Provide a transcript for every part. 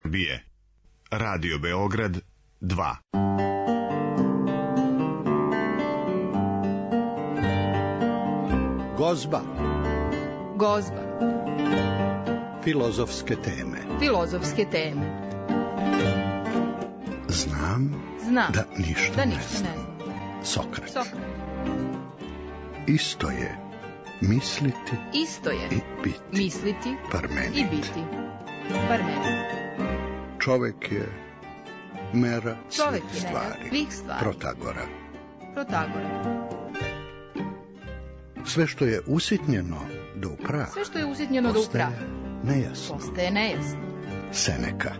Srbije. Radio Beograd 2. Gozba. Gozba. Filozofske teme. Filozofske teme. Znam da ništa ne znam. Sokrat. Isto je misliti i biti. Misliti Parmenid. i biti. Parmenid. Čovek je mera Svih stvari. Protagora. Sve što je usitnjeno do prah. Postaje nejasno. Seneka.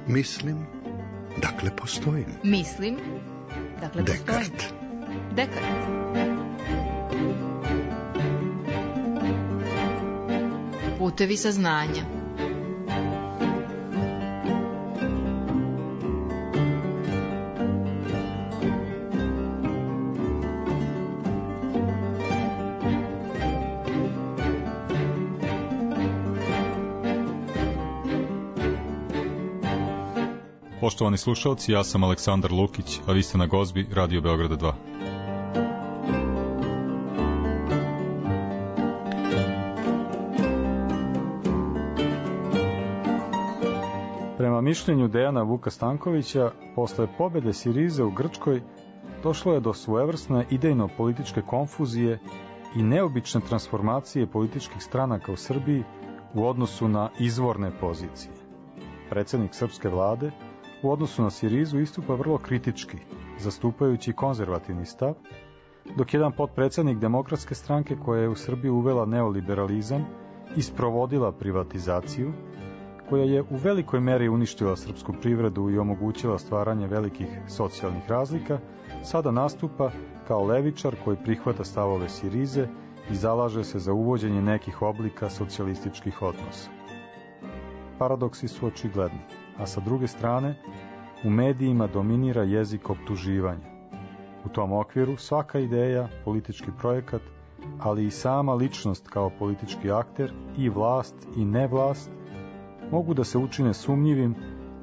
Mislim, dakle postojim. Dekart. Putevi saznanja. Poštovani slušalci, ja sam Aleksandar Lukić, a vi ste na Gozbi Radio Beograda 2. Prema mišljenju Dejana Vuka Stankovića, posle pobede Sirize u Grčkoj, došlo je do svojevrsne idejno-političke konfuzije i neobične transformacije političkih stranaka u Srbiji u odnosu na izvorne pozicije. Predsjednik srpske vlade u odnosu na Sirizu istupa vrlo kritički, zastupajući konzervativni stav, dok jedan potpredsjednik Demokratske stranke koja je u Srbiji uvela neoliberalizam i sprovodila privatizaciju, koja je u velikoj meri uništila srpsku privredu i omogućila stvaranje velikih socijalnih razlika, sada nastupa kao levičar koji prihvata stavove Sirize i zalaže se za uvođenje nekih oblika socijalističkih odnosa. Paradoksi su očigledni, a sa druge strane, u medijima dominira jezik optuživanja. U tom okviru svaka ideja, politički projekat, ali i sama ličnost kao politički akter, i vlast i nevlast, mogu da se učine sumnjivim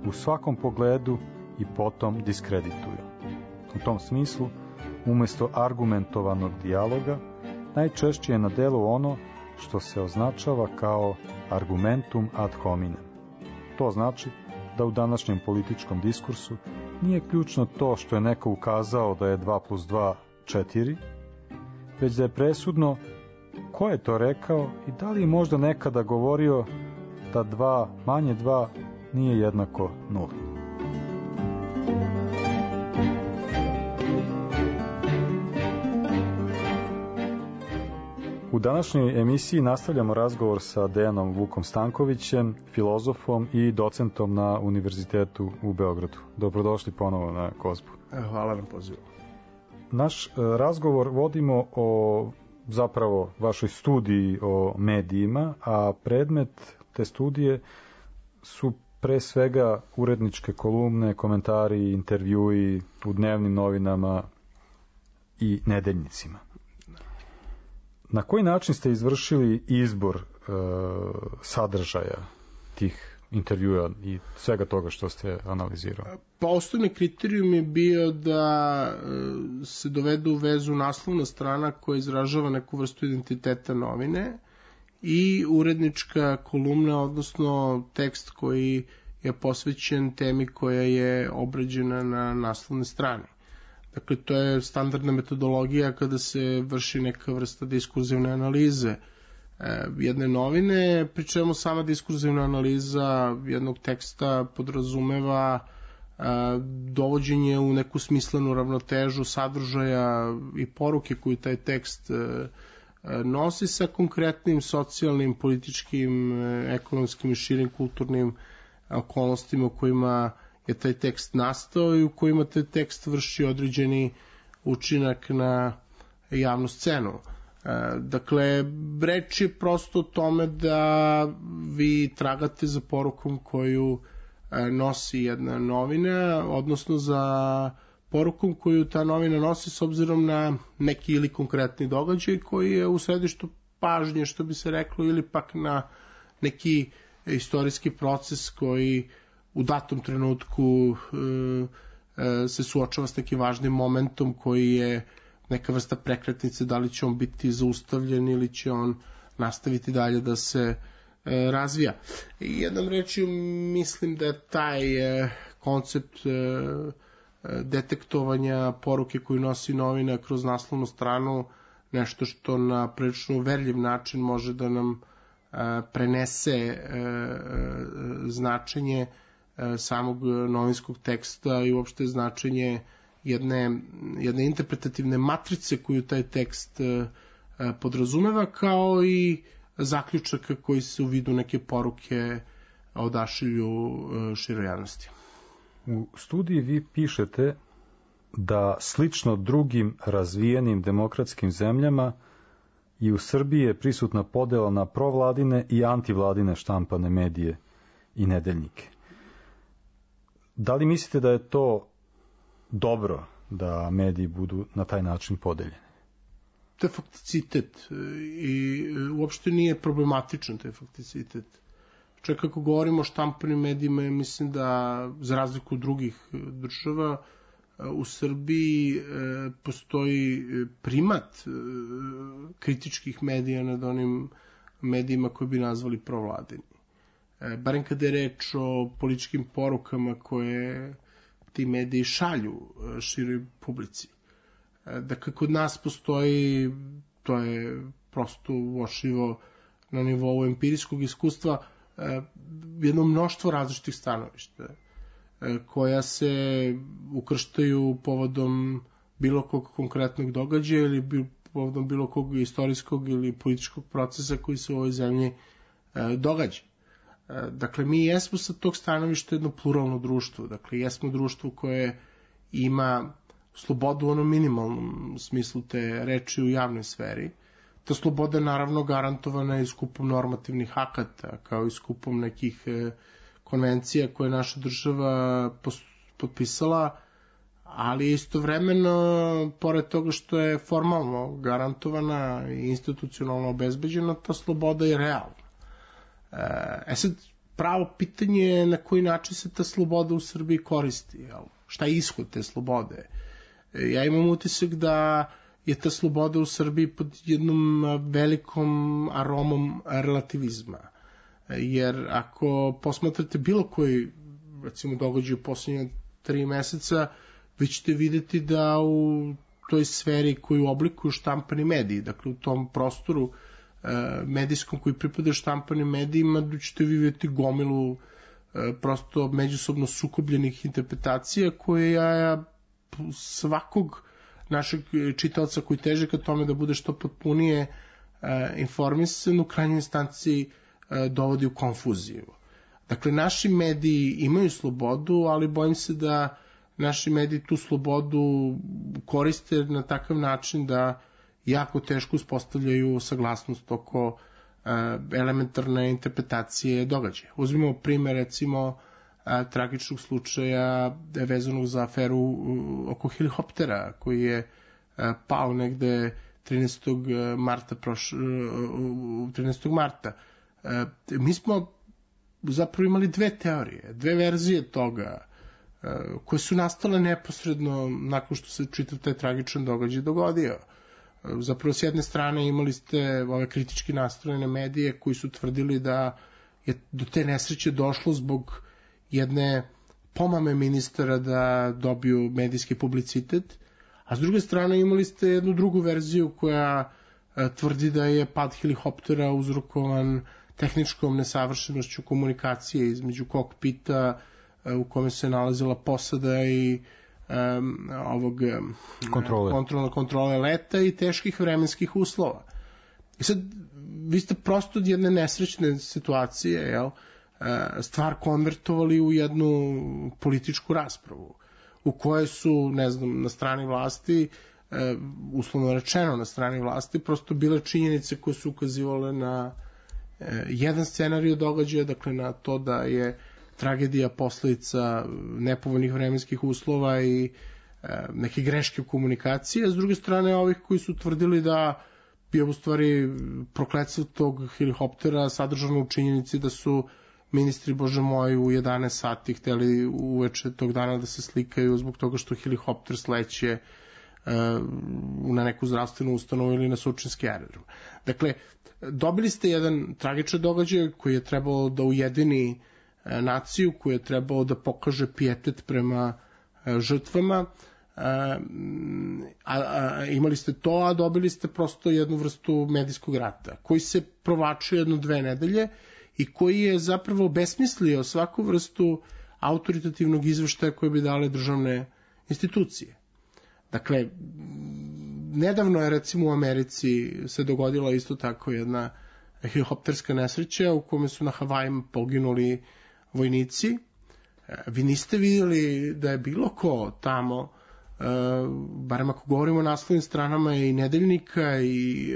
u svakom pogledu i potom diskredituju. U tom smislu, umjesto argumentovanog dijaloga, najčešće je na delu ono što se označava kao argumentum ad hominem. To znači da u današnjem političkom diskursu nije ključno to što je neko ukazao da je 2+2 4, već da je presudno ko je to rekao i da li je možda nekada govorio da 2 manje 2 nije jednako 0. U današnjoj emisiji nastavljamo razgovor sa Dejanom Vukom Stankovićem, filozofom i docentom na Univerzitetu u Beogradu. Dobrodošli ponovo na Gozbu. Hvala na pozivu. Naš razgovor vodimo o zapravo vašoj studiji o medijima, a predmet te studije su pre svega uredničke kolumne, komentari, intervjui u dnevnim novinama i nedeljnicima. Na koji način ste izvršili izbor sadržaja tih intervjua i svega toga što ste analizirali? Pa osnovni kriterijum je bio da se dovede u vezu naslovna strana koja izražava neku vrstu identiteta novine i urednička kolumna, odnosno tekst koji je posvećen temi koja je obrađena na naslovnoj strani. Dakle, to je standardna metodologija kada se vrši neka vrsta diskurzivne analize jedne novine, pri čemu sama diskurzivna analiza jednog teksta podrazumeva dovođenje u neku smislenu ravnotežu sadržaja i poruke koju taj tekst nosi sa konkretnim socijalnim, političkim, ekonomskim i širim kulturnim okolnostima u kojima je taj tekst nastao i u kojima taj tekst vrši određeni učinak na javnu scenu. Dakle, reč je prosto o tome da vi tragate za porukom koju nosi jedna novina, odnosno za porukom koju ta novina nosi s obzirom na neki ili konkretni događaj koji je u središtu pažnje, što bi se reklo, ili pak na neki istorijski proces koji u datom trenutku se suočava s nekim važnim momentom koji je neka vrsta prekretnice, da li će on biti zaustavljen ili će on nastaviti dalje da se razvija. I jednom rečju mislim da je taj koncept detektovanja poruke koju nosi novina kroz naslovnu stranu nešto što na prilično uverljiv način može da nam prenese značenje samog novinskog teksta i uopšte značenje jedne interpretativne matrice koju taj tekst podrazumeva, kao i zaključaka koji se u vidu neke poruke odašilju široj javnosti. U studiji vi pišete da slično drugim razvijenim demokratskim zemljama i u Srbiji je prisutna podela na provladine i antivladine štampane medije i nedeljnike. Da li mislite da je to dobro da mediji budu na taj način podeljeni? To je fakticitet i uopšte nije problematičan taj fakticitet. Čak ako govorimo o štampanim medijima, mislim da za razliku od drugih država u Srbiji postoji primat kritičkih medija nad onim medijima koje bi nazvali provladini. Barem kada je reč o političkim porukama koje ti mediji šalju široj publici. Dakle, kod nas postoji, to je prosto uočljivo na nivou empirijskog iskustva, jedno mnoštvo različitih stanovišta koja se ukrštaju povodom bilo kog konkretnog događaja ili povodom bilo kog istorijskog ili političkog procesa koji se u ovoj zemlji događa. Dakle, mi jesmo sa tog stanovišta jedno pluralno društvo. Dakle, jesmo društvo koje ima slobodu u onom minimalnom smislu te reči u javnoj sferi. Ta sloboda je naravno garantovana i skupom normativnih akata, kao i skupom nekih konvencija koje je naša država potpisala, ali istovremeno, pored toga što je formalno garantovana i institucionalno obezbeđena, ta sloboda je realna. Sad, pravo pitanje je na koji način se ta sloboda u Srbiji koristi. Šta je ishod te slobode? Ja imam utisak da je ta sloboda u Srbiji pod jednom velikom aromom relativizma. Jer ako posmatrate bilo koji, recimo, događaj u posljednje 3 meseca, vi ćete videti da u toj sferi koju oblikuju štampani mediji, dakle u tom prostoru medijskom koji pripada štampanim medijima, da ćete vidjeti gomilu prosto međusobno sukobljenih interpretacija koje ja svakog našeg čitaoca koji teže ka tome da bude što potpunije informisan u krajnjoj instanciji dovodi u konfuziju. Dakle, naši mediji imaju slobodu, ali bojim se da naši mediji tu slobodu koriste na takav način da jako teško uspostavljaju saglasnost oko elementarne interpretacije događaja. Uzmimo primer, recimo, tragičnog slučaja vezanog za aferu oko helikoptera koji je pao negde 13. marta. Mi smo zapravo imali dve teorije, dve verzije toga koje su nastale neposredno nakon što se čitav taj tragičan događaj dogodio. Zapravo, s jedne strane imali ste ove kritički nastrojene medije koji su tvrdili da je do te nesreće došlo zbog jedne pomame ministara da dobiju medijski publicitet, a s druge strane imali ste jednu drugu verziju koja tvrdi da je pad helikoptera uzrokovan tehničkom nesavršenošću komunikacije između kokpita u kome se nalazila posada i ovog kontrole leta i teških vremenskih uslova. I sad, vi ste prosto od jedne nesrećne situacije, stvar konvertovali u jednu političku raspravu, u kojoj su, ne znam, na strani vlasti, uslovno rečeno na strani vlasti, prosto bile činjenice koje su ukazivale na jedan scenarij događaja, dakle na to da je tragedija posledica nepovoljnih vremenskih uslova i neke greške u komunikaciji, a s druge strane ovih koji su tvrdili da je u stvari prokletstvo tog helikoptera sadržano u činjenici da su ministri, bože moj, u 11 sati hteli uveče tog dana da se slikaju zbog toga što helikopter sleće na neku zdravstvenu ustanovu ili na Surčinski aerodrom. Dakle, dobili ste jedan tragičan događaj koji je trebalo da ujedini naciju, koji je trebalo da pokaže pijetet prema žrtvama, imali ste to, a dobili ste prosto jednu vrstu medijskog rata, koji se provlačio 1-2 nedelje i koji je zapravo besmislio svaku vrstu autoritativnog izveštaja koje bi dale državne institucije. Dakle, nedavno je recimo u Americi se dogodila isto tako jedna helikopterska nesreća u kome su na Havajima poginuli vojnici. Vi niste vidjeli da je bilo ko tamo, barem ako govorimo o naslovnim stranama i nedeljnika i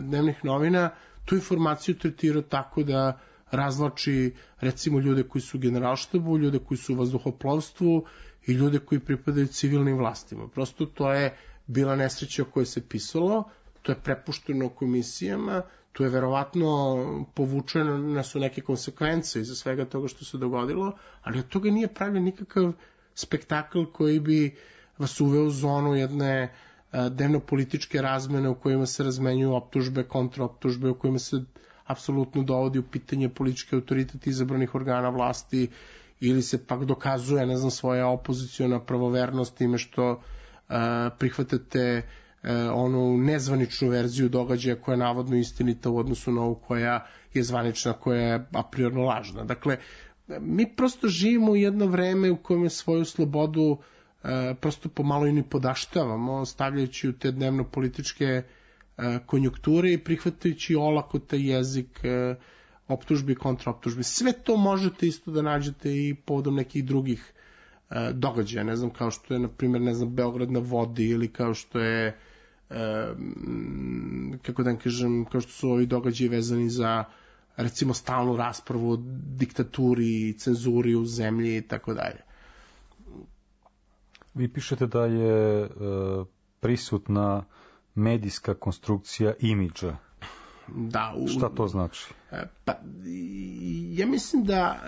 dnevnih novina, tu informaciju tretirao tako da razvlači recimo ljude koji su u generalštabu, ljude koji su u vazduhoplovstvu i ljude koji pripadaju civilnim vlastima. Prosto to je bila nesreća o kojoj se pisalo, to je prepušteno komisijama, tu je verovatno povučene su neke konsekvence iza svega toga što se dogodilo, ali od toga nije pravljen nikakav spektakl koji bi vas uveo u zonu jedne dnevno-političke razmene u kojima se razmenjuju optužbe, kontraoptužbe, u kojima se apsolutno dovodi u pitanje politički autoritet izabranih organa vlasti ili se pak dokazuje, ne znam, svoja opoziciona pravovernost time što prihvatate onu nezvaničnu verziju događaja koja je navodno istinita u odnosu na ovu koja je zvanična, koja je a priorno lažna. Dakle, mi prosto živimo u jedno vreme u kojem je svoju slobodu prosto pomalo i ni podaštavamo, stavljajući u te dnevno-političke konjunkture i prihvatajući olako taj jezik optužbi i kontraoptužbi. Sve to možete isto da nađete i povodom nekih drugih događaja, ne znam, kao što je, na primjer, ne znam, Beograd na vodi ili kao što je kako da kažem, kao što su ovi događaji vezani za recimo stalnu raspravu o diktaturi i cenzuri u zemlji i tako dalje. Vi pišete da je prisutna medijska konstrukcija imidža. Da, šta to znači? Pa, ja mislim da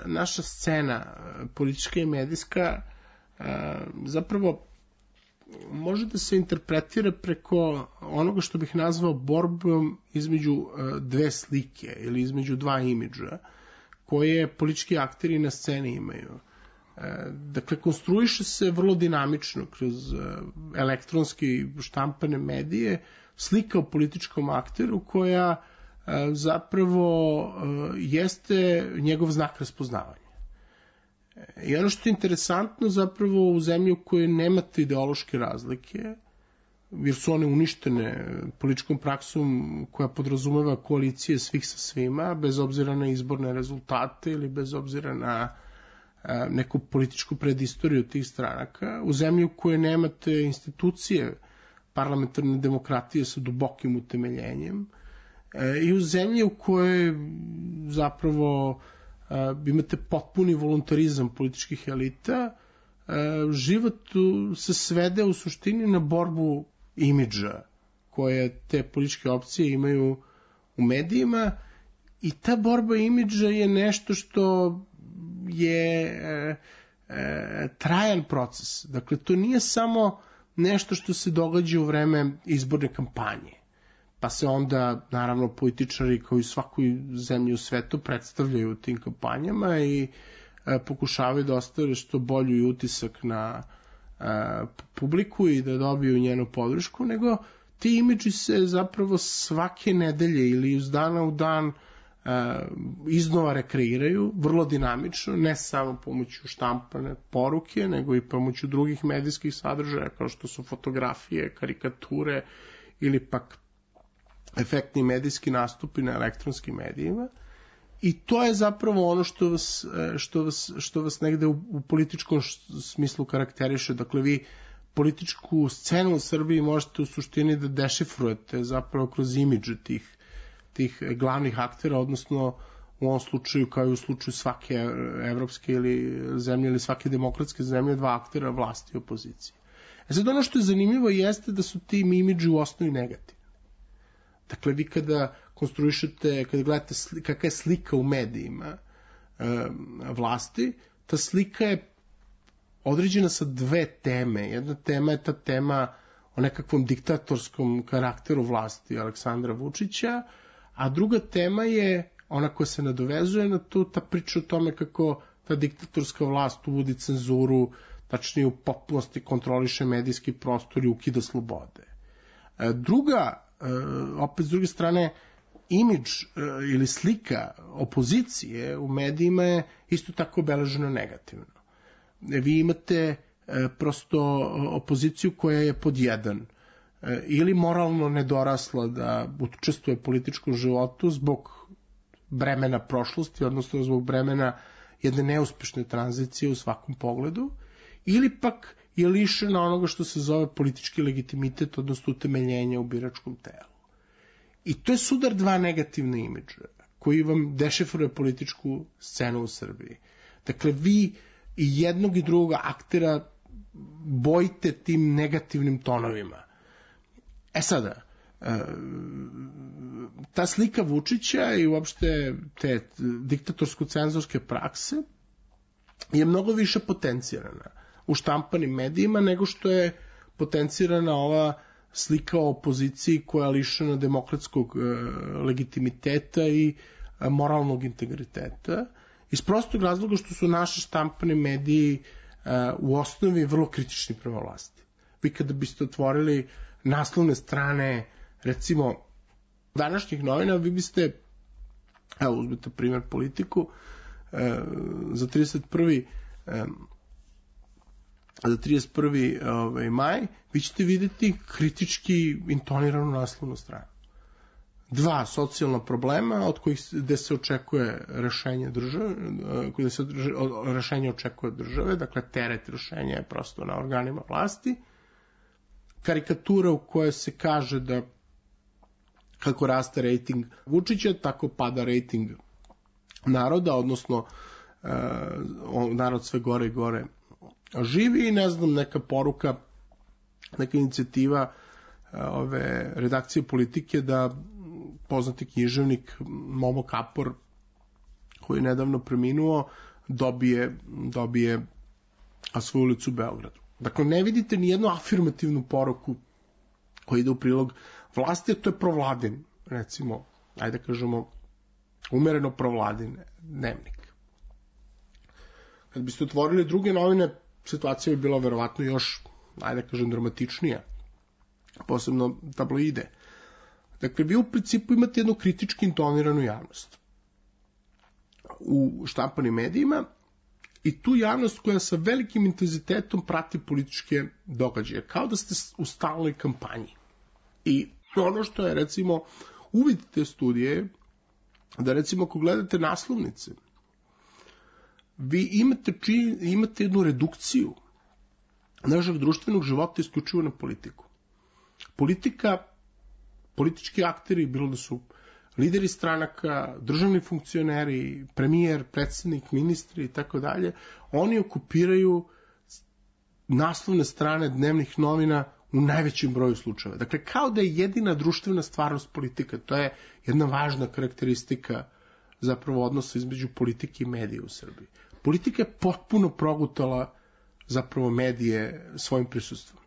naša scena politička i medijska zapravo može da se interpretira preko onoga što bih nazvao borbom između dve slike ili između dva imidža koje politički akteri na sceni imaju. Dakle, konstruiše se vrlo dinamično kroz elektronski štampane medije slika o političkom akteru koja zapravo jeste njegov znak raspoznavanja. I ono što je interesantno zapravo u zemlji u kojoj nemate ideološke razlike, jer su one uništene političkom praksom koja podrazumeva koalicije svih sa svima, bez obzira na izborne rezultate ili bez obzira na neku političku predistoriju tih stranaka, u zemlji u kojoj nemate institucije parlamentarne demokratije sa dubokim utemeljenjem i u zemlji u kojoj zapravo imate potpuni voluntarizam političkih elita, život se svede u suštini na borbu imidža koje te političke opcije imaju u medijima i ta borba imidža je nešto što je trajan proces. Dakle, to nije samo nešto što se događa u vreme izborne kampanje, pa se onda, naravno, političari kao i svakoj zemlji u svetu predstavljaju u tim kampanjama i pokušavaju da ostave što bolji utisak na publiku i da dobiju njenu podršku, nego ti imidži se zapravo svake nedelje ili iz dana u dan iznova rekreiraju, vrlo dinamično, ne samo pomoću štampane poruke, nego i pomoću drugih medijskih sadržaja, kao što su fotografije, karikature ili pak efektni medijski nastupi na elektronskim medijima. I to je zapravo ono što vas negde u političkom smislu karakteriše. Dakle, vi političku scenu u Srbiji možete u suštini da dešifrujete zapravo kroz imidže tih glavnih aktera, odnosno u ovom slučaju kao i u slučaju svake evropske ili zemlje ili svake demokratske zemlje, dva aktera vlasti i opozicije. Sad ono što je zanimljivo jeste da su ti imidži u osnovi negativni. Dakle, vi kada konstruišete, kada gledate kakva je slika u medijima, vlasti, ta slika je određena sa dve teme. Jedna tema je ta tema o nekakvom diktatorskom karakteru vlasti Aleksandra Vučića, a druga tema je ona koja se nadovezuje na to, ta priča o tome kako ta diktatorska vlast uvodi cenzuru, tačnije u potpunosti kontroliše medijski prostor i ukida slobode. Druga, opet s druge strane, imidž ili slika opozicije u medijima je isto tako obeležena negativno. Vi imate prosto opoziciju koja je pod jedan ili moralno nedorasla da učestvuje u političkom životu zbog bremena prošlosti, odnosno zbog bremena jedne neuspešne tranzicije u svakom pogledu, ili pak je lišena onoga što se zove politički legitimitet, odnosno utemeljenja u biračkom telu. I to je sudar dva negativna imidža koji vam dešifruje političku scenu u Srbiji. Dakle, vi i jednog i drugog aktera bojite tim negativnim tonovima. Sada, ta slika Vučića i uopšte te diktatorsko-cenzorske prakse je mnogo više potencirana u štampanim medijima nego što je potencirana ova slika o opoziciji koja je lišena demokratskog legitimiteta i moralnog integriteta, iz prostog razloga što su naši štampani mediji u osnovi vrlo kritični prema vlasti. Vi kada biste otvorili naslovne strane, recimo, današnjih novina, vi biste, evo uzmite primjer Politiku, za 31. maj, vi ćete vidjeti kritički intoniranu naslovnu stranu. Dva socijalna problema od kojih gde se očekuje rešenje države, gde se rešenje očekuje države, dakle teret rešenja je prosto na organima vlasti, karikatura u kojoj se kaže da kako raste rejting Vučića, tako pada rejting naroda, odnosno narod sve gore i gore živi i ne znam, neka poruka, neka inicijativa ove redakcije Politike da poznati književnik Momo Kapor, koji je nedavno preminuo, dobije svoju ulicu u Beogradu. Dakle, ne vidite ni jednu afirmativnu poruku koja ide u prilog vlasti, a to je provladin, recimo, ajde kažemo, umereno provladin dnevnik. Kad biste otvorili druge novine, situacija bi bila verovatno još, ajde kažem, dramatičnija, posebno tabloide. Dakle, vi u principu imate jednu kritički intoniranu javnost u štampanim medijima i tu javnost koja sa velikim intenzitetom prati političke događaje, kao da ste u stalnoj kampanji. I ono što je, recimo, uvid te studije, da recimo ako gledate naslovnice, vi imate jednu redukciju našeg društvenog života isključivo na politiku. Politički akteri, bilo da su lideri stranaka, državni funkcioneri, premijer, predsjednik, ministri i tako dalje, oni okupiraju naslovne strane dnevnih novina u najvećem broju slučajeva. Dakle, kao da je jedina društvena stvarnost politika. To je jedna važna karakteristika zapravo odnosa između politike i medija u Srbiji. Politika je potpuno progutala zapravo medije svojim prisustvom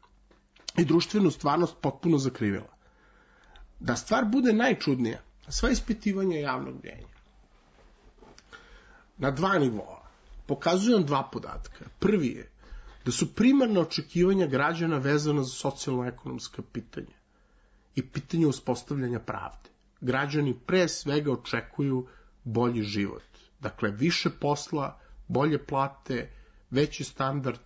i društvenu stvarnost potpuno zakrivila. Da stvar bude najčudnija, sva ispitivanja javnog mnjenja na dva nivoa pokazuju nam dva podatka. Prvi je da su primarna očekivanja građana vezana za socijalno-ekonomska pitanja i pitanje uspostavljanja pravde. Građani pre svega očekuju bolji život. Dakle, više posla, bolje plate, veći standard,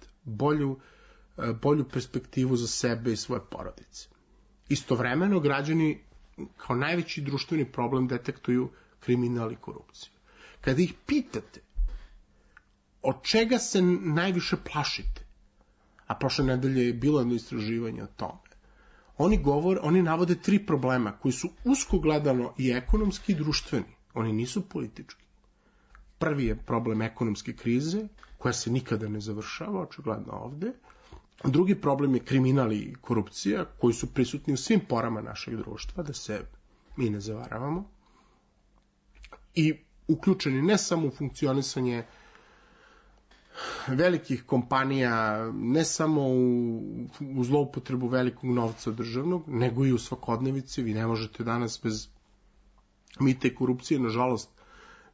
bolju perspektivu za sebe i svoje porodice. Istovremeno, građani kao najveći društveni problem detektuju kriminal i korupciju. Kada ih pitate od čega se najviše plašite, a prošle nedelje je bilo jedno istraživanje o tome, oni navode 3 problema koji su usko gledano i ekonomski i društveni. Oni nisu politički. Prvi je problem ekonomske krize, koja se nikada ne završava, očigledno ovde. Drugi problem je kriminal i korupcija, koji su prisutni u svim porama našeg društva, da se mi ne zavaravamo. I uključeni ne samo u funkcionisanje velikih kompanija, ne samo u zloupotrebu velikog novca državnog, nego i u svakodnevici. Vi ne možete danas bez mita i korupcije, nažalost,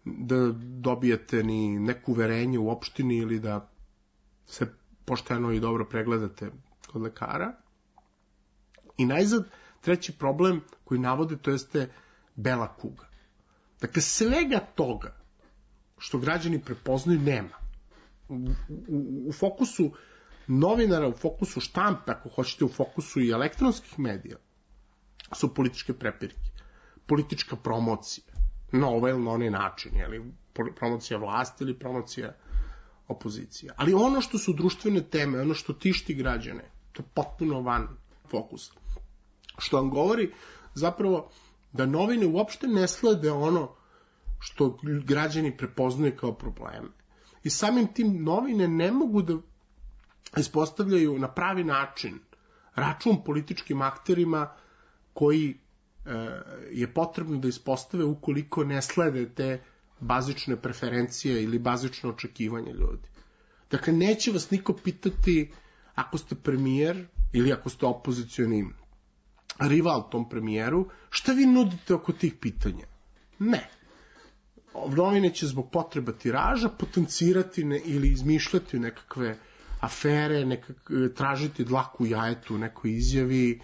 da dobijete ni neko uverenje u opštini ili da se pošteno i dobro pregledate kod lekara. I najzad, treći problem koji navode, to jeste bela kuga. Dakle, svega toga što građani prepoznaju nema. U fokusu novinara, u fokusu štampe, ako hoćete, u fokusu i elektronskih medija, su političke prepirke, politička promocija, na ovaj ili na onaj način, promocija vlasti ili promocija opozicija. Ali ono što su društvene teme, ono što tišti građane, to je potpuno van fokusa. Što vam govori zapravo da novine uopšte ne slede ono što građani prepoznaju kao probleme. I samim tim novine ne mogu da ispostavljaju na pravi način račun političkim akterima koji je potrebno da ispostave ukoliko ne slede te bazične preferencije ili bazično očekivanje ljudi. Dakle, neće vas niko pitati ako ste premijer ili ako ste opozicioni rival tom premijeru, šta vi nudite oko tih pitanja? Ne. Novine će zbog potreba tiraža potencirati ili izmišljati nekakve afere, tražiti dlaku u jajetu u nekoj izjavi,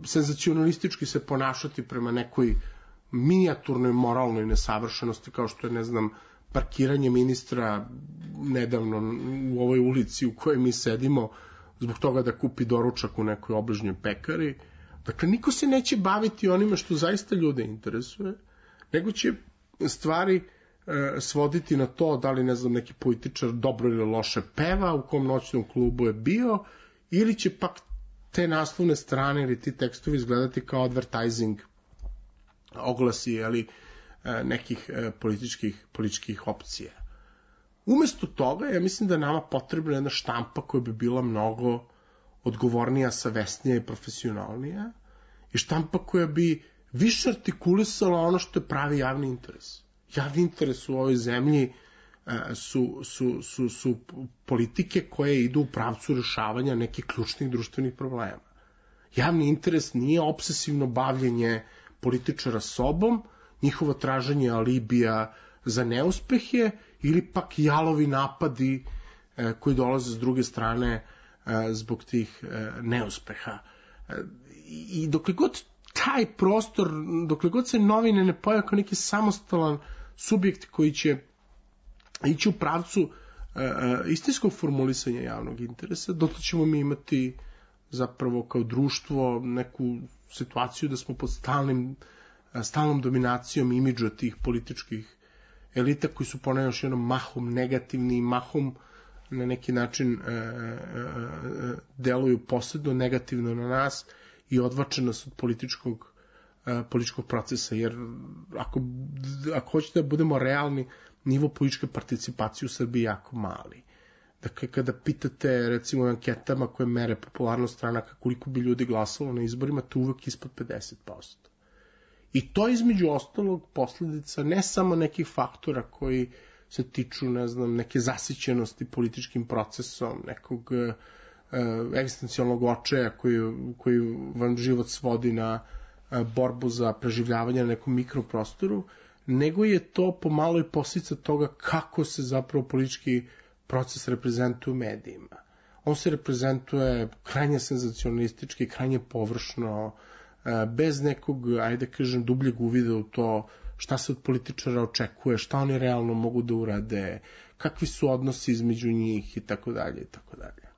senzacionalistički se ponašati prema nekoj minijaturnoj moralnoj nesavršenosti, kao što je, ne znam, parkiranje ministra nedavno u ovoj ulici u kojoj mi sedimo zbog toga da kupi doručak u nekoj obližnjoj pekari. Dakle, niko se neće baviti onime što zaista ljude interesuje, nego će stvari svoditi na to da li, ne znam, neki političar dobro ili loše peva, u kom noćnom klubu je bio, ili će pak te naslovne strane ili ti tekstovi izgledati kao advertising oglasi nekih političkih opcija. Umesto toga, ja mislim da je nama potrebna jedna štampa koja bi bila mnogo odgovornija, savesnija i profesionalnija, i štampa koja bi više artikulisala ono što je pravi javni interes. Javni interes u ovoj zemlji su politike koje idu u pravcu rešavanja nekih ključnih društvenih problema. Javni interes nije obsesivno bavljenje političara sobom, njihovo traženje alibija za neuspehe ili pak jalovi napadi koji dolaze s druge strane zbog tih neuspeha. I dokle god taj prostor, dokle god se novine ne pojave kao neki samostalan subjekt koji će ići u pravcu istinskog formulisanja javnog interesa, dotle ćemo mi imati zapravo kao društvo neku situaciju da smo pod stalnom dominacijom imidža tih političkih elita koji su ponavljam još jednom mahom negativni i mahom na neki način deluju posredno negativno na nas i odvače nas od političkog procesa, jer ako hoćete da budemo realni, nivo političke participacije u Srbiji je jako mali. Dakle, kada pitate, recimo, anketama koje mere popularnost stranaka, koliko bi ljudi glasalo na izborima, to uvek ispod 50%. I to između ostalog posledica ne samo nekih faktora koji se tiču, ne znam, neke zasićenosti političkim procesom, nekog egzistencijalnog očaja koji vam život svodi na borbu za preživljavanje na nekom mikroprostoru, nego je to pomalo i posljedica toga kako se zapravo politički proces reprezentuje u medijima. On se reprezentuje krajnje senzacionalistički, krajnje površno, bez nekog, ajde kažem, dubljeg uvida u to šta se od političara očekuje, šta oni realno mogu da urade, kakvi su odnosi između njih i tako dalje i tako dalje.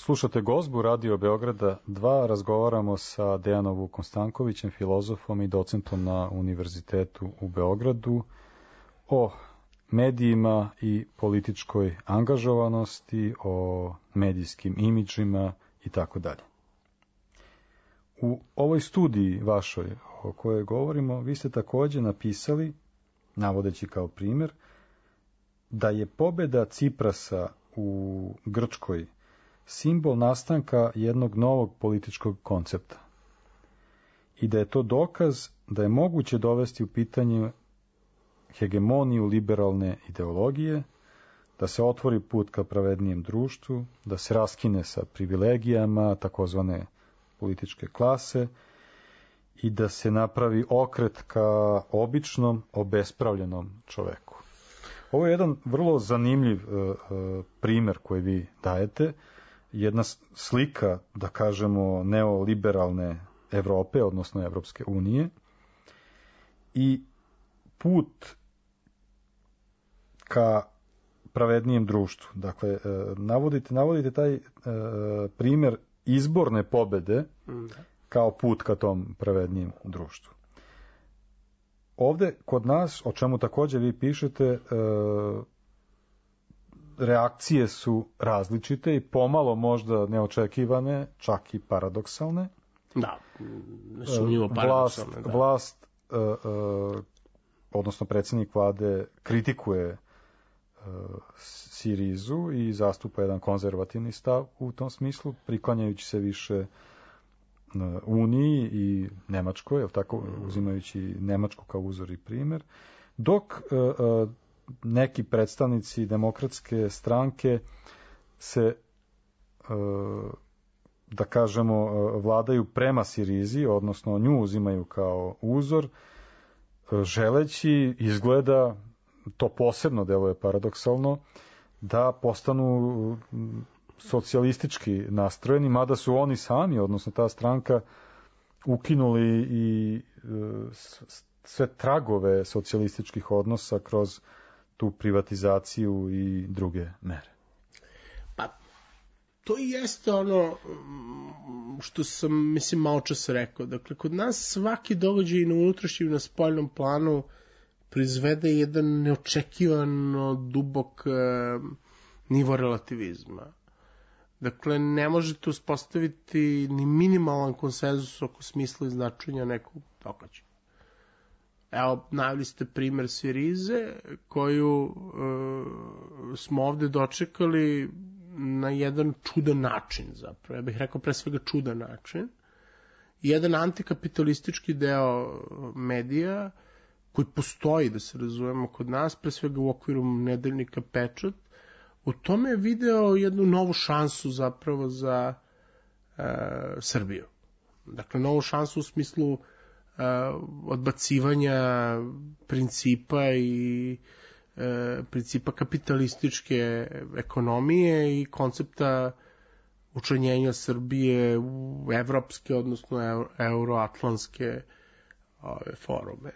Slušate Gozbu Radio Beograda 2, razgovaramo sa Dejanom Vukom Stankovićem, filozofom i docentom na Univerzitetu u Beogradu o medijima i političkoj angažovanosti, o medijskim imidžima i tako dalje. U ovoj studiji vašoj o kojoj govorimo, vi ste takođe napisali, navodeći kao primjer, da je pobeda Ciprasa u Grčkoj simbol nastanka jednog novog političkog koncepta i da je to dokaz da je moguće dovesti u pitanje hegemoniju liberalne ideologije, da se otvori put ka pravednijem društvu, da se raskine sa privilegijama takozvane političke klase i da se napravi okret ka običnom, obespravljenom čoveku. Ovo je jedan vrlo zanimljiv primer koji vi dajete, jedna slika, da kažemo, neoliberalne Evrope, odnosno Evropske unije, i put ka pravednijem društvu. Dakle, navodite taj primer izborne pobede kao put ka tom pravednijem društvu. Ovde, kod nas, o čemu takođe vi pišete, reakcije su različite i pomalo možda neočekivane, čak i paradoksalne. Da, nesumnjivo paradoksalne. Vlast, odnosno predsjednik vlade, kritikuje Sirizu i zastupa jedan konzervativni stav u tom smislu, priklanjajući se više Uniji i Nemačkoj, tako, uzimajući Nemačku kao uzor i primer, dok neki predstavnici demokratske stranke se, da kažemo, vladaju prema Sirizi, odnosno nju uzimaju kao uzor, želeći, izgleda, to posebno deluje paradoksalno, da postanu socijalistički nastrojeni, mada su oni sami, odnosno ta stranka, ukinuli i sve tragove socijalističkih odnosa kroz tu privatizaciju i druge mere. Pa, to i jeste ono što sam, mislim, malo čas rekao. Dakle, kod nas svaki događaj na unutrašnjem i na spoljnom planu proizvede jedan neočekivano dubok nivo relativizma. Dakle, ne možete uspostaviti ni minimalan konsenzus oko smisla i značenja nekog događaja. Evo, naveli ste primer Sirize, koju smo ovde dočekali na jedan čudan način, zapravo. Ja bih rekao pre svega čudan način. Jedan antikapitalistički deo medija, koji postoji, da se razumemo, kod nas, pre svega u okviru nedeljnika Pečat, u tome je video jednu novu šansu zapravo za Srbiju. Dakle, novu šansu u smislu odbacivanja principa i principa kapitalističke ekonomije i koncepta učlanjenja Srbije u evropske, odnosno euroatlantske forume.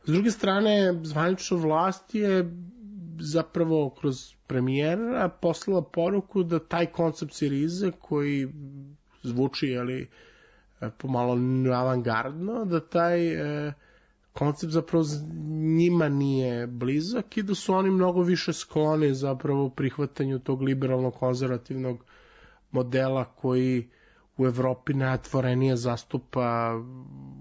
S druge strane, zvanična vlast je zapravo kroz premijera poslala poruku da taj koncept Sirize, koji zvuči, pomalo avangardno, da taj koncept zapravo njima nije blizak i da su oni mnogo više skloni zapravo prihvatanju tog liberalno-konzervativnog modela koji u Evropi najotvorenije zastupa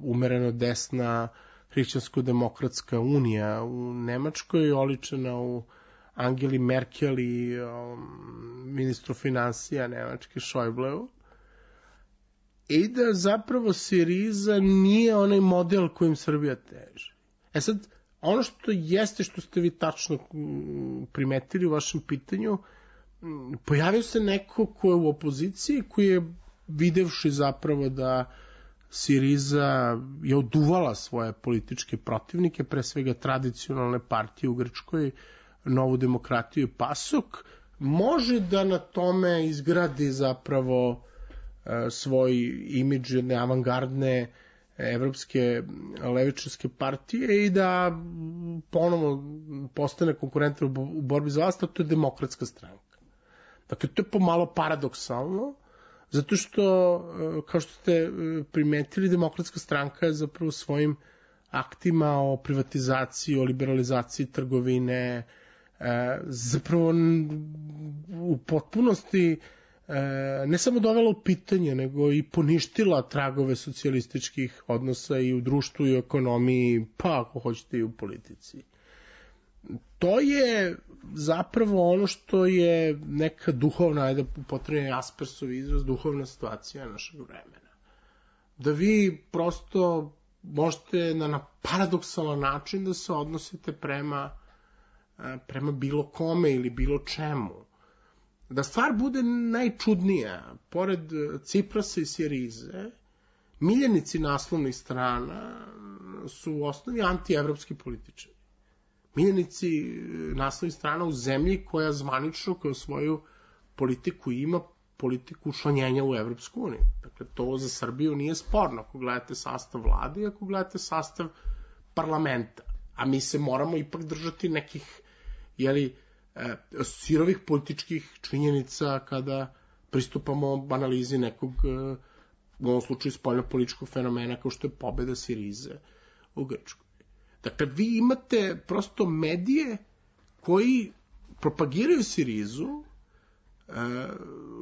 umereno desna hrišćansko-demokratska unija, u Nemačkoj oličena u Angeli Merkel i ministru financija Nemačke Schäubleu, i da zapravo Siriza nije onaj model kojim Srbija teži. Sad, ono što jeste, što ste vi tačno primetili u vašem pitanju, pojavio se neko ko je u opoziciji, koji je videvši zapravo da Siriza je oduvala svoje političke protivnike, pre svega tradicionalne partije u Grčkoj, Novu demokratiju i PASOK, može da na tome izgradi zapravo svoj imidž jedne avangardne evropske levičarske partije i da ponovo postane konkurentan u borbi za vlast, a to je Demokratska stranka. Dakle, to je pomalo paradoksalno, zato što, kao što ste primetili, Demokratska stranka je zapravo svojim aktima o privatizaciji, o liberalizaciji trgovine, zapravo u potpunosti ne samo dovela u pitanje, nego i poništila tragove socijalističkih odnosa i u društvu i u ekonomiji, pa ako hoćete i u politici. To je zapravo ono što je neka duhovna, ajde upotrebljeni Aspersov izraz, duhovna situacija našeg vremena. Da vi prosto možete na paradoksalan način da se odnosite prema bilo kome ili bilo čemu. Da stvar bude najčudnija, pored Ciprasa i Sirize, miljenici naslovnih strana su u osnovi antievropski političari. Miljenici naslovnih strana u zemlji koja zvanično kao svoju politiku ima politiku učlanjenja u Evropsku uniju. Dakle, to za Srbiju nije sporno ako gledate sastav vlade i ako gledate sastav parlamenta. A mi se moramo ipak držati nekih sirovih političkih činjenica kada pristupamo analizi nekog, u ovom slučaju spoljnopolitičkog fenomena kao što je pobeda Sirize u Grčkoj. Dakle, vi imate prosto medije koji propagiraju Sirizu,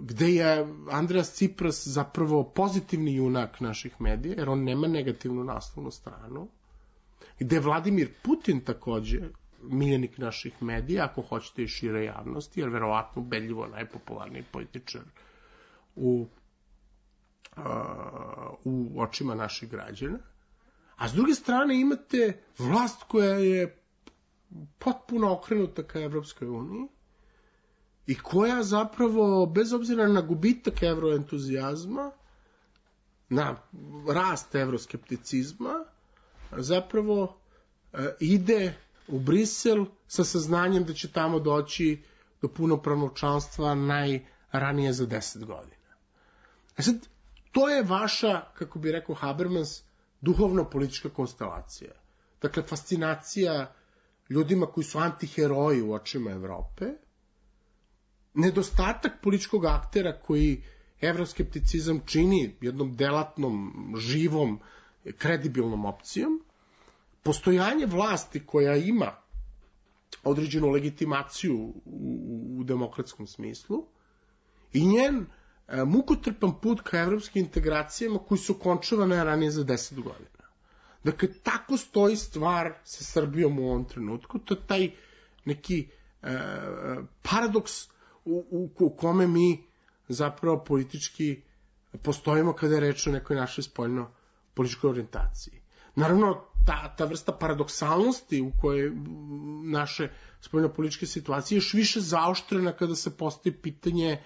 gde je Andreas Cipras zapravo pozitivni junak naših medija, jer on nema negativnu naslovnu stranu, gde je Vladimir Putin takođe miljenik naših medija, ako hoćete i šire javnosti, jer verovatno ubedljivo najpopularniji političar u očima naših građana. A s druge strane imate vlast koja je potpuno okrenuta ka Evropskoj uniji i koja zapravo, bez obzira na gubitak evroentuzijazma, na rast evroskepticizma, zapravo ide u Brisel sa saznanjem da će tamo doći do punopravnog članstva najranije za 10 godina. A sad, to je vaša, kako bi rekao Habermas, duhovno-politička konstelacija. Dakle, fascinacija ljudima koji su antiheroji u očima Evrope, nedostatak političkog aktera koji evroskepticizam čini jednom delatnom, živom, kredibilnom opcijom, postojanje vlasti koja ima određenu legitimaciju u demokratskom smislu i njen mukotrpan put ka evropskim integracijama koji su končavane ranije za 10 godina. Dakle, tako stoji stvar sa Srbijom u ovom trenutku. To je taj neki paradoks u kome mi zapravo politički postojimo kada je reč o nekoj našoj spoljno-političkoj orijentaciji. Naravno, ta vrsta paradoksalnosti u kojoj naše spoljno-političke situacije još više zaoštrena kada se postoji pitanje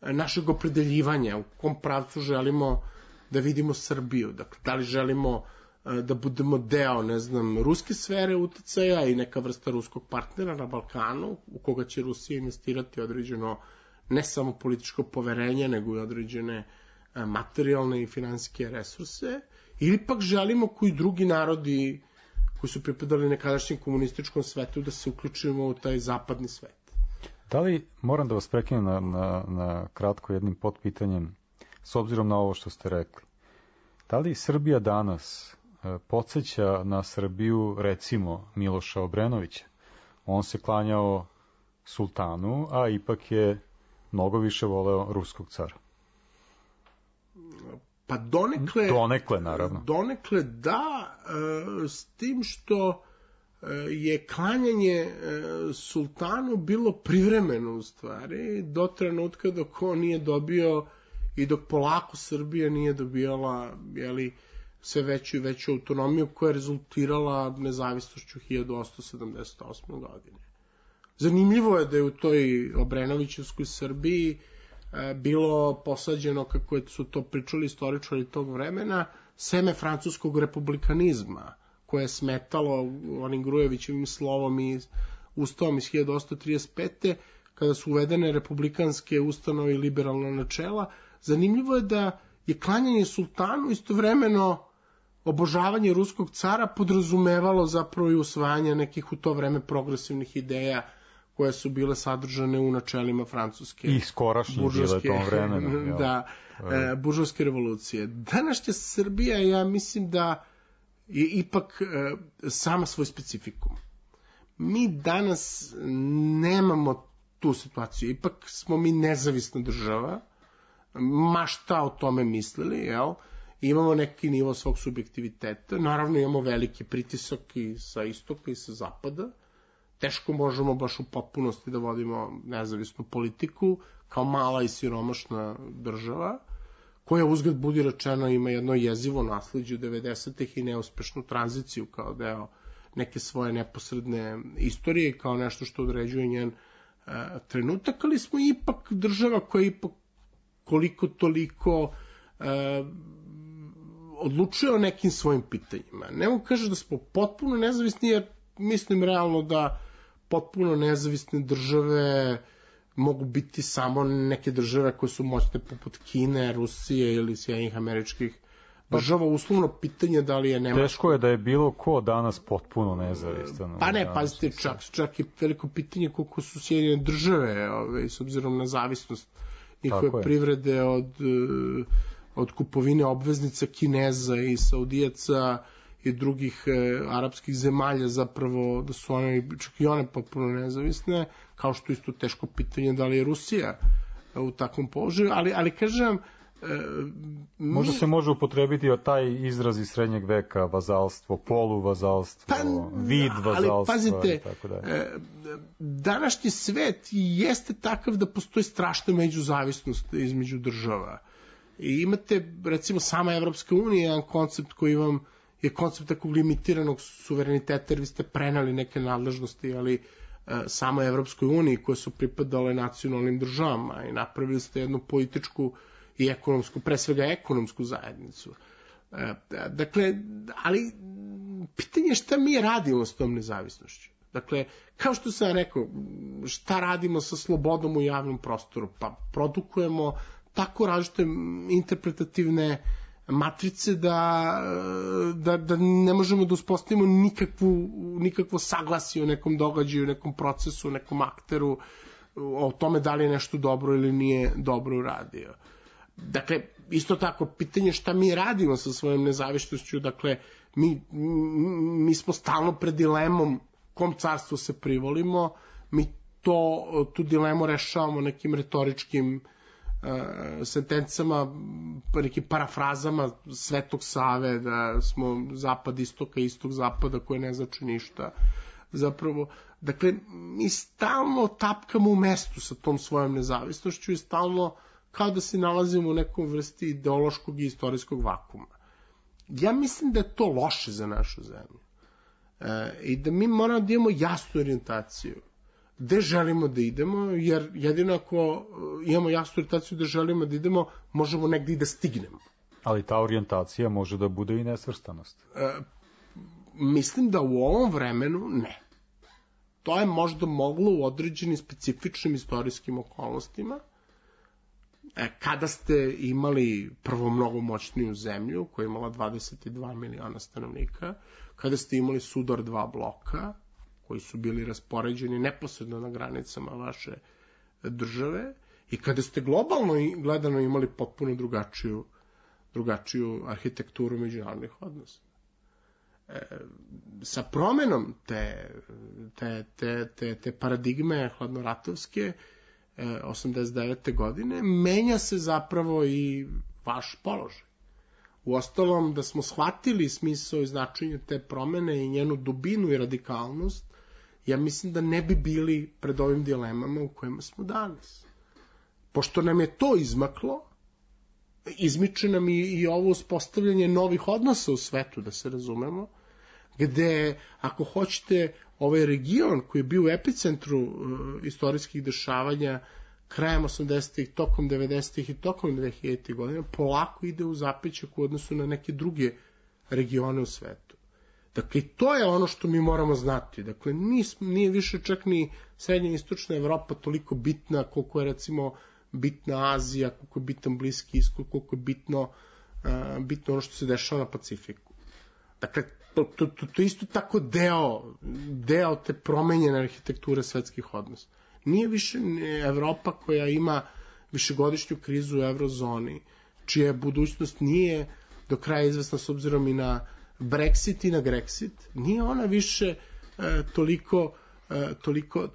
našeg opredeljivanja, u kom pravcu želimo da vidimo Srbiju. Dakle, da li želimo da budemo deo, ne znam, ruske sfere uticaja i neka vrsta ruskog partnera na Balkanu, u koga će Rusija investirati određeno ne samo političko poverenje, nego i određene materijalne i finansijske resurse, ili pak želimo koji drugi narodi koji su pripadali nekadašnjem komunističkom svetu da se uključimo u taj zapadni svet. Da li, moram da vas prekinem na kratko jednim potpitanjem, s obzirom na ovo što ste rekli, da li Srbija danas podsjeća na Srbiju, recimo, Miloša Obrenovića? On se klanjao sultanu, a ipak je mnogo više voleo ruskog cara. Pa donekle... Donekle, naravno. Donekle, da, s tim što je klanjanje sultanu bilo privremeno u stvari, do trenutka dok on nije dobio i dok polako Srbija nije dobijala, sve veću i veću autonomiju koja je rezultirala nezavisnošću 1878. godine. Zanimljivo je da je u toj Obrenovićevskoj Srbiji bilo posađeno, kako su to pričali istoričari tog vremena, seme francuskog republikanizma, koje je smetalo onim Grujevićevim slovom i ustavom iz 1835. kada su uvedene republikanske ustanove i liberalna načela. Zanimljivo je da je klanjanje sultanu istovremeno obožavanje ruskog cara podrazumevalo zapravo i usvajanje nekih u to vreme progresivnih ideja koje su bile sadržane u načelima francuske. I skorašnje bile tom vremenu. Da, buržovske revolucije. Današnja Srbija, ja mislim da je ipak sama svoj specifikum. Mi danas nemamo tu situaciju. Ipak smo mi nezavisna država, ma šta o tome mislili, jel? Imamo neki nivo svog subjektiviteta, naravno imamo veliki pritisak i sa istoka i sa zapada, teško možemo baš u potpunosti da vodimo nezavisnu politiku, kao mala i siromašna država, koja uzgled budi rečeno ima jedno jezivo nasleđe 90-ih i neuspešnu tranziciju kao deo neke svoje neposredne istorije, kao nešto što određuje njen trenutak, ali smo ipak država koja ipak koliko toliko odlučuje o nekim svojim pitanjima. Ne mogu kažem da smo potpuno nezavisni, jer mislim realno da potpuno nezavisne države mogu biti samo neke države koje su moćne poput Kine, Rusije ili Sjedinjenih Američkih država. Uslovno pitanje da li je Nemačka... Teško je da je bilo ko danas potpuno nezavistan. Pa ne, pazite, čak i veliko pitanje koliko su Sjedinjene države, s obzirom na zavisnost njihove privrede od kupovine obveznica Kineza i Saudijaca i drugih arapskih zemalja, zapravo da su one, čak i one potpuno nezavisne, kao što isto teško pitanje da li je Rusija u takvom položaju, ali kažem... Možda se može upotrebiti taj izraz iz srednjeg veka, vazalstvo, poluvazalstvo, vid vazalstva. Ali pazite, današnji svet jeste takav da postoji strašna međuzavisnost između država. I imate, recimo, sama Evropska unija, jedan koncept koji vam je koncept takvog limitiranog suvereniteta, jer vi ste prenali neke nadležnosti, ali samo Evropskoj uniji koje su pripadale nacionalnim državama i napravili ste jednu političku i ekonomsku, pre svega ekonomsku zajednicu. Dakle, ali pitanje je šta mi radimo s tom nezavisnošću. Dakle, kao što sam rekao, šta radimo sa slobodom u javnom prostoru? Pa produkujemo tako različite interpretativne matrice da ne možemo da uspostavimo nikakvo saglasje o nekom događaju, nekom procesu, nekom akteru, o tome da li je nešto dobro ili nije dobro uradio. Dakle, isto tako, pitanje šta mi radimo sa svojom nezavisnošću, dakle, mi smo stalno pred dilemom kom carstvu se privolimo, mi tu dilemu rešavamo nekim retoričkim sentencama, nekim parafrazama Svetog Save, da smo zapad istoka, istok zapada, koje ne znači ništa. Zapravo, dakle, mi stalno tapkamo u mestu sa tom svojom nezavisnošću i stalno kao da se nalazimo u nekom vrsti ideološkog i istorijskog vakuma. Ja mislim da je to loše za našu zemlju. I da mi moramo da imamo jasnu orijentaciju. Gde želimo da idemo, jer jedino ako imamo jasnu orijentaciju gde želimo da idemo, možemo negde i da stignemo. Ali ta orijentacija može da bude i nesvrstanost. Mislim da u ovom vremenu ne. To je možda moglo u određenim specifičnim istorijskim okolnostima, kada ste imali prvo mnogo moćniju zemlju, koja je imala 22 miliona stanovnika, kada ste imali sudar dva bloka, koji su bili raspoređeni neposredno na granicama vaše države, i kada ste globalno gledano imali potpuno drugačiju arhitekturu međunarodnih odnosa. Sa promenom te paradigme hladnoratovske 89. godine menja se zapravo i vaš položaj. Uostalom, da smo shvatili smisao i značenje te promene i njenu dubinu i radikalnost, ja mislim da ne bi bili pred ovim dilemama u kojima smo danas. Pošto nam je to izmaklo, izmiče nam i ovo uspostavljanje novih odnosa u svetu, da se razumemo, gde, ako hoćete, ovaj region koji je bio u epicentru istorijskih dešavanja krajem 80-ih, tokom 90-ih i tokom 2000-ih godina, polako ide u zapećak u odnosu na neke druge regione u svetu. Dakle, to je ono što mi moramo znati. Dakle, nije više čak ni srednja i istočna Evropa toliko bitna koliko je, recimo, bitna Azija, koliko je bitan Bliski Istok, koliko je bitno ono što se dešava na Pacifiku. Dakle, to je isto tako deo te promenjene arhitekture svetskih odnosa. Nije više Evropa koja ima višegodišnju krizu u eurozoni, čija budućnost nije do kraja izvesna s obzirom i na Brexit i na Grexit, nije ona više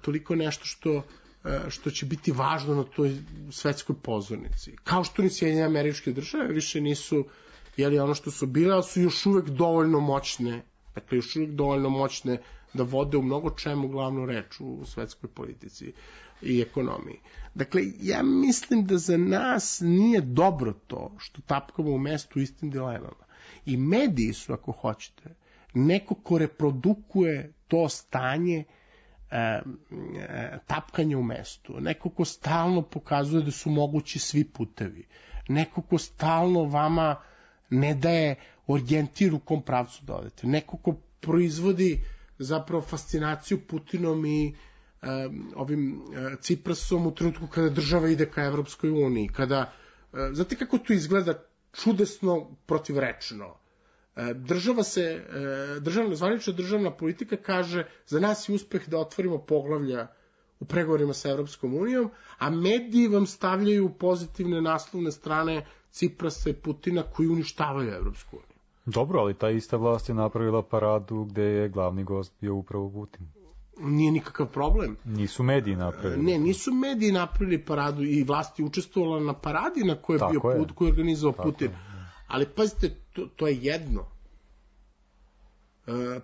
toliko nešto što će biti važno na toj svetskoj pozornici. Kao što ni Sjedinjene Američke Države više nisu ono što su bile, ali su još uvek dovoljno moćne, dakle još uvek dovoljno moćne da vode u mnogo čemu glavnu reč u svetskoj politici i ekonomiji. Dakle, ja mislim da za nas nije dobro to što tapkamo u mestu istim dilemama. I mediji su, ako hoćete, neko ko reprodukuje to stanje tapkanja u mestu, neko ko stalno pokazuje da su mogući svi putevi, neko ko stalno vama ne daje orijentir u kom pravcu da odete, neko ko proizvodi zapravo fascinaciju Putinom i ovim Ciprasom u trenutku kada država ide ka Evropskoj uniji, kada, znate kako to izgleda čudesno protivrečno. Zvanična državna politika kaže za nas je uspeh da otvorimo poglavlja u pregovorima sa Evropskom unijom, a mediji vam stavljaju pozitivne naslovne strane Ciprasa i Putina koji uništavaju Evropsku uniju. Dobro, ali ta ista vlast je napravila paradu gde je glavni gost bio upravo Putin. Nije nikakav problem. Nisu mediji napravili. Ne, nisu mediji napravili paradu i vlast je učestvovala na paradi na kojoj je bio Putin, koji je organizovao Putin. Ali pazite, to je jedno.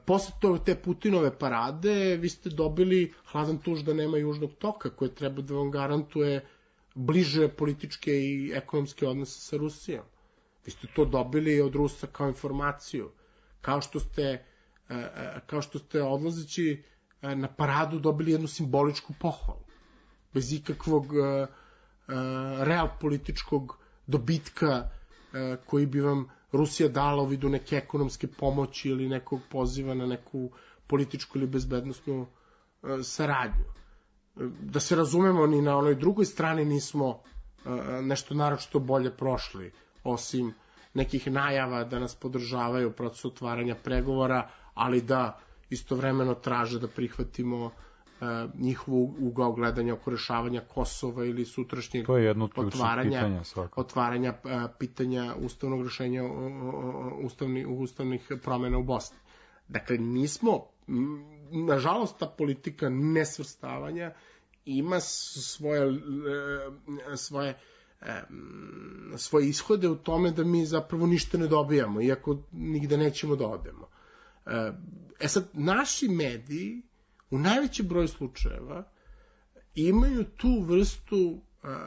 Posle te Putinove parade vi ste dobili hladan tuž da nema južnog toka koje treba da vam garantuje bliže političke i ekonomske odnose sa Rusijom. Vi ste to dobili od Rusa kao informaciju. Kao što ste odlazeći na paradu dobili jednu simboličku pohvalu. Bez ikakvog real političkog dobitka koji bi vam Rusija dala u vidu neke ekonomske pomoći ili nekog poziva na neku političku ili bezbednosnu saradnju. Da se razumemo, ni na onoj drugoj strani nismo nešto naročito bolje prošli, osim nekih najava da nas podržavaju u procesu otvaranja pregovora, ali da istovremeno traže da prihvatimo njihovu ugao gledanja oko rešavanja Kosova ili sutrašnjeg otvaranja pitanja ustavnog rešenja ustavnih promena u Bosni. Dakle, nismo, nažalost, ta politika nesvrstavanja ima svoje ishode u tome da mi zapravo ništa ne dobijamo, iako nigde nećemo da odemo. Sad, naši mediji u najvećem broju slučajeva imaju tu vrstu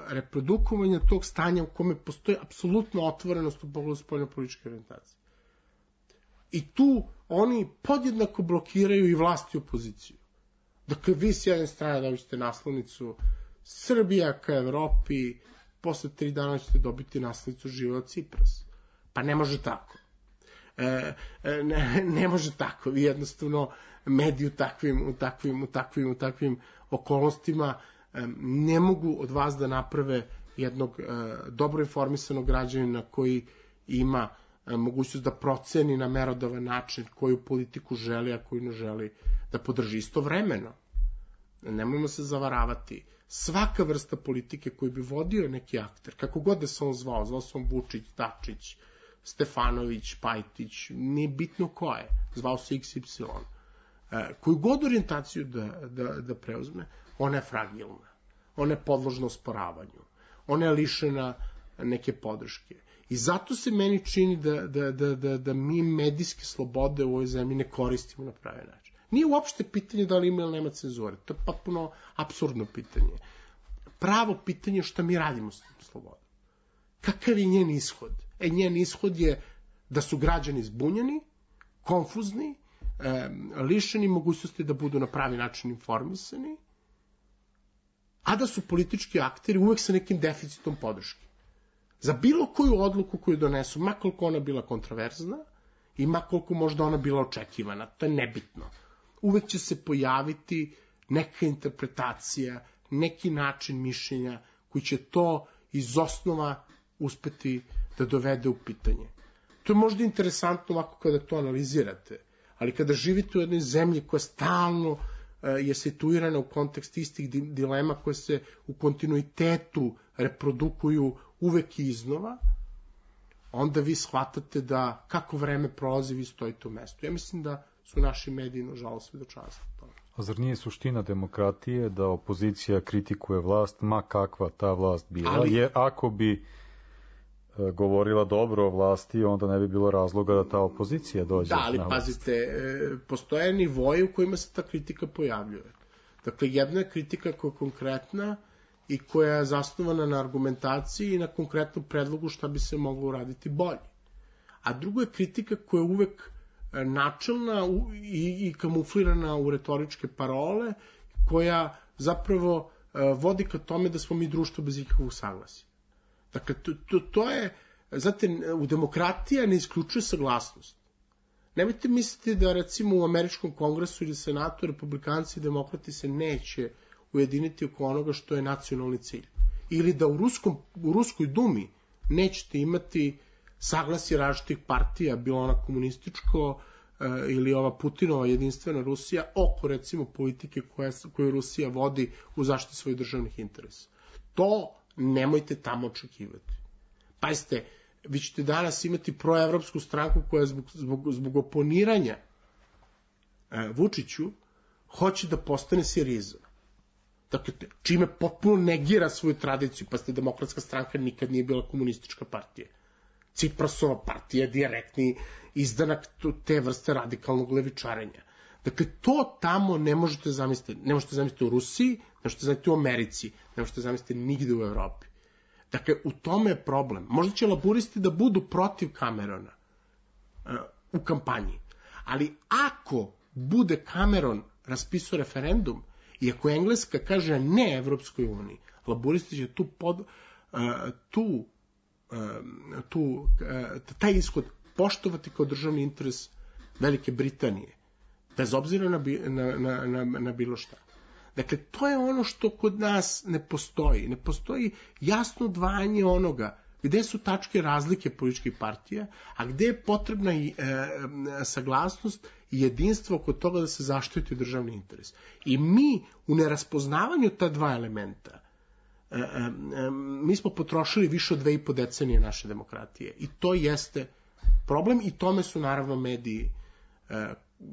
reprodukovanja tog stanja u kome postoji apsolutna otvorenost u pogledu spoljnopolitičke orijentacije. I tu oni podjednako blokiraju i vlast i opoziciju. Dakle, vi s jedne strane dobite naslovnicu Srbija ka Evropi, posle 3 dana ćete dobiti naslovnicu Živeo Cipras. Pa ne može tako. Ne može tako. Vi jednostavno mediji u takvim okolnostima ne mogu od vas da naprave jednog dobro informisanog građanina koji ima mogućnost da proceni na merodavan način koju politiku želi, a koju ne želi da podrži. Istovremeno, nemojmo se zavaravati, svaka vrsta politike koju bi vodio neki akter, kako god da se on zvao se on Vučić, Dačić, Stefanović, Pajtić, nije bitno ko je, zvao se XY, koju god orijentaciju da preuzme, ona je fragilna, ona je podložna osporavanju, ona je lišena neke podrške. I zato se meni čini da mi medijske slobode u ovoj zemlji ne koristimo na pravi način. Nije uopšte pitanje da li ima ili nema cenzure, to je potpuno apsurdno pitanje. Pravo pitanje je šta mi radimo s slobodom. Kakav je njen ishod? Njen ishod je da su građani zbunjeni, konfuzni, lišeni mogućnosti da budu na pravi način informisani, a da su politički akteri uvek sa nekim deficitom podrške. Za bilo koju odluku koju donesu, makoliko ona bila kontroverzna i makoliko možda ona bila očekivana, to je nebitno. Uvek će se pojaviti neka interpretacija, neki način mišljenja koji će to iz osnova uspeti da dovede u pitanje. To je možda interesantno ovako kada to analizirate, ali kada živite u jednoj zemlji koja stalno je situirana u kontekst istih dilema koje se u kontinuitetu reprodukuju uvek iznova, onda vi shvatate da kako vreme prolazi vi stojite u mestu. Ja mislim da su naši mediji, nažalost, svedočanstvo toga. A zar nije suština demokratije da opozicija kritikuje vlast, ma kakva ta vlast bila? Jer ako bi govorila dobro o vlasti, onda ne bi bilo razloga da ta opozicija dođe. Da, ali pazite, postoje nivoje u kojima se ta kritika pojavljuje. Dakle, jedna je kritika koja je konkretna i koja je zasnovana na argumentaciji i na konkretnom predlogu šta bi se moglo uraditi bolje. A drugo je kritika koja je uvek načelna i kamuflirana u retoričke parole, koja zapravo vodi ka tome da smo mi društvo bez ikakvog saglasja. Dakle, to je, znate, u demokratija ne isključuje saglasnost. Nemojte misliti da, recimo, u američkom kongresu ili senatu republikanci i demokrati se neće ujediniti oko onoga što je nacionalni cilj. Ili da u Ruskoj dumi nećete imati saglasje različitih partija, bilo ona komunističko ili ova Putinova jedinstvena Rusija, oko, recimo, politike koju Rusija vodi u zaštiti svojih državnih interesa. To nemojte tamo očekivati. Pazite, vi ćete danas imati proevropsku stranku koja zbog oponiranja Vučiću hoće da postane Siriza. Dakle, čime potpuno negira svoju tradiciju. Pazite, Demokratska stranka nikad nije bila komunistička partija. Ciprasova partija je direktni izdanak te vrste radikalnog levičarenja. Dakle, to tamo ne možete zamisliti. Ne možete zamisliti u Rusiji, ne možete zamisliti u Americi, ne možete zamisliti nigde u Evropi. Dakle, u tome je problem. Možda će laburisti da budu protiv Camerona u kampanji, ali ako bude Cameron raspisao referendum i ako Engleska kaže ne Evropskoj uniji, laburisti će taj ishod poštovati kao državni interes Velike Britanije, bez obzira na bilo šta. Dakle, to je ono što kod nas ne postoji. Ne postoji jasno odvajanje onoga gde su tačke razlike političkih partija, a gde je potrebna i saglasnost i jedinstvo oko toga da se zaštiti državni interes. I mi u neraspoznavanju ta dva elementa, mi smo potrošili više od 2,5 decenije naše demokratije. I to jeste problem i tome su naravno mediji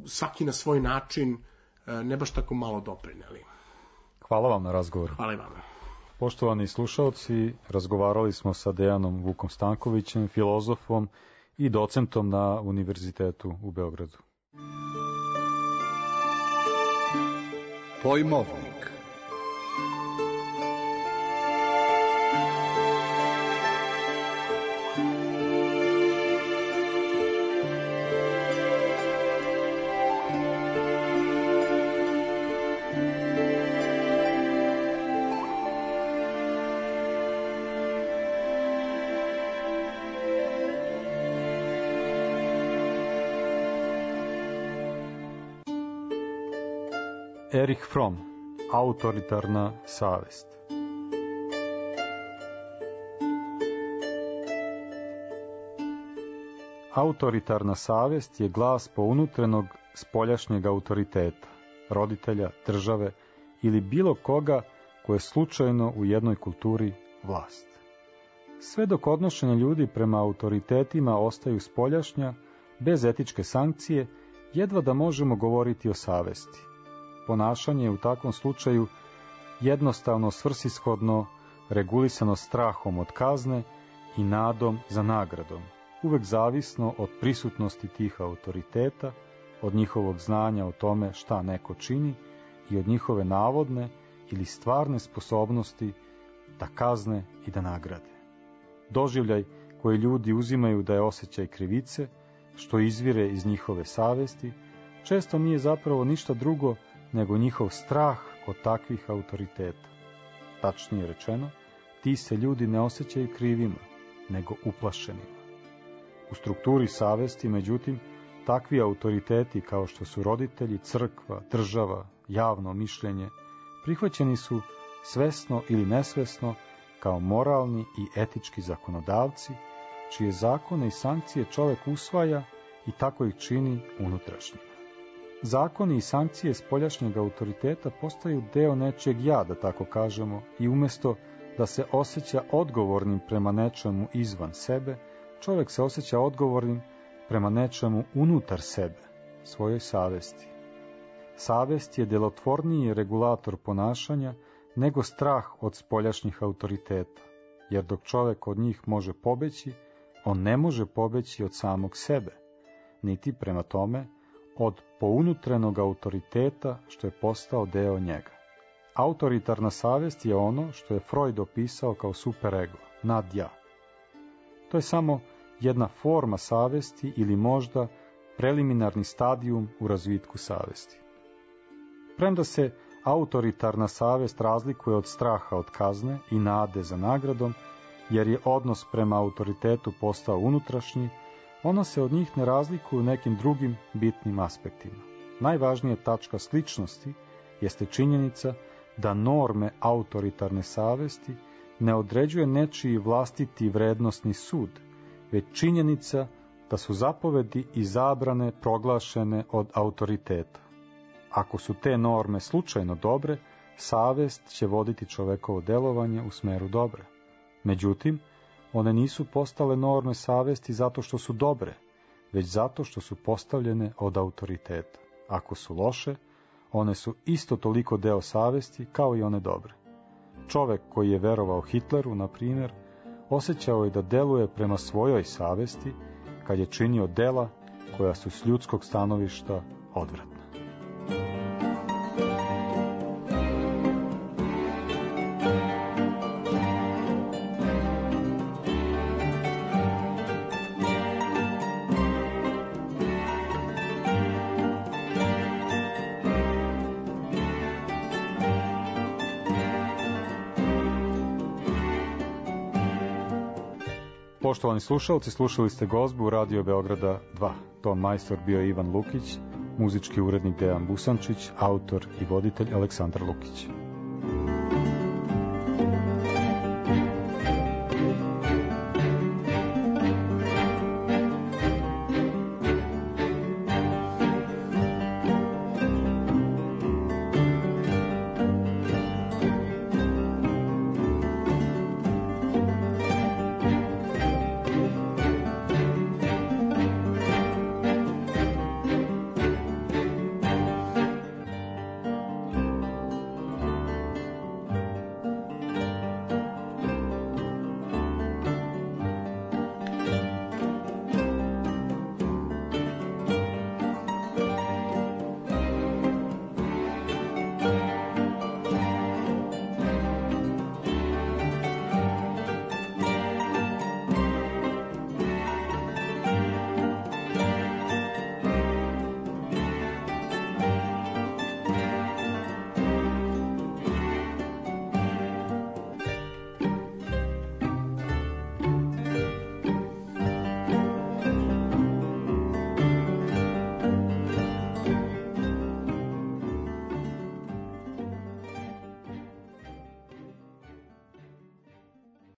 svaki na svoj način ne baš tako malo doprineli. Hvala vam na razgovoru. Hvala i vama. Poštovani slušaoci, razgovarali smo sa Dejanom Vukom Stankovićem, filozofom i docentom na Univerzitetu u Beogradu. Pojmovnik. Erich Fromm, autoritarna savest. Autoritarna savest je glas pounutrenog spoljašnjeg autoriteta, roditelja, države ili bilo koga ko je slučajno u jednoj kulturi vlast. Sve dok odnošenja ljudi prema autoritetima ostaju spoljašnja, bez etičke sankcije, jedva da možemo govoriti o savesti. Ponašanje je u takvom slučaju jednostavno svrsishodno, regulisano strahom od kazne i nadom za nagradom, uvek zavisno od prisutnosti tih autoriteta, od njihovog znanja o tome šta neko čini i od njihove navodne ili stvarne sposobnosti da kazne i da nagrade. Doživljaj koji ljudi uzimaju da je osjećaj krivice, što izvire iz njihove savesti, često nije zapravo ništa drugo nego njihov strah od takvih autoriteta. Tačnije rečeno, ti se ljudi ne osjećaju krivima, nego uplašenima. U strukturi savesti, međutim, takvi autoriteti kao što su roditelji, crkva, država, javno mišljenje, prihvaćeni su svesno ili nesvesno kao moralni i etički zakonodavci, čije zakone i sankcije čovjek usvaja i tako ih čini unutrašnjima. Zakoni i sankcije spoljašnjeg autoriteta postaju deo nečeg ja, da tako kažemo, i umjesto da se osjeća odgovornim prema nečemu izvan sebe, čovjek se osjeća odgovornim prema nečemu unutar sebe, svojoj savesti. Savest je djelotvorniji regulator ponašanja nego strah od spoljašnjih autoriteta, jer dok čovjek od njih može pobeći, on ne može pobeći od samog sebe, niti prema tome od pounutrenog autoriteta što je postao deo njega. Autoritarna savjest je ono što je Freud opisao kao superego, nadja. To je samo jedna forma savjesti ili možda preliminarni stadijum u razvitku savjesti. Premda se autoritarna savjest razlikuje od straha od kazne i nade za nagradom, jer je odnos prema autoritetu postao unutrašnji, ona se od njih ne razlikuje u nekim drugim bitnim aspektima. Najvažnija tačka sličnosti jeste činjenica da norme autoritarne savjesti ne određuje nečiji vlastiti vrednosni sud, već činjenica da su zapovedi i zabrane proglašene od autoriteta. Ako su te norme slučajno dobre, savjest će voditi čovekovo delovanje u smeru dobre. Međutim, one nisu postale norme savjesti zato što su dobre, već zato što su postavljene od autoriteta. Ako su loše, one su isto toliko deo savjesti kao i one dobre. Čovek koji je verovao Hitleru, na primjer, osjećao je da deluje prema svojoj savjesti kad je činio dela koja su s ljudskog stanovišta odvratna. Poštovani slušalci, slušali ste gozbu Radio Beograda 2. Ton majstor bio je Ivan Lukić, muzički urednik Dejan Busančić, autor i voditelj Aleksandar Lukić.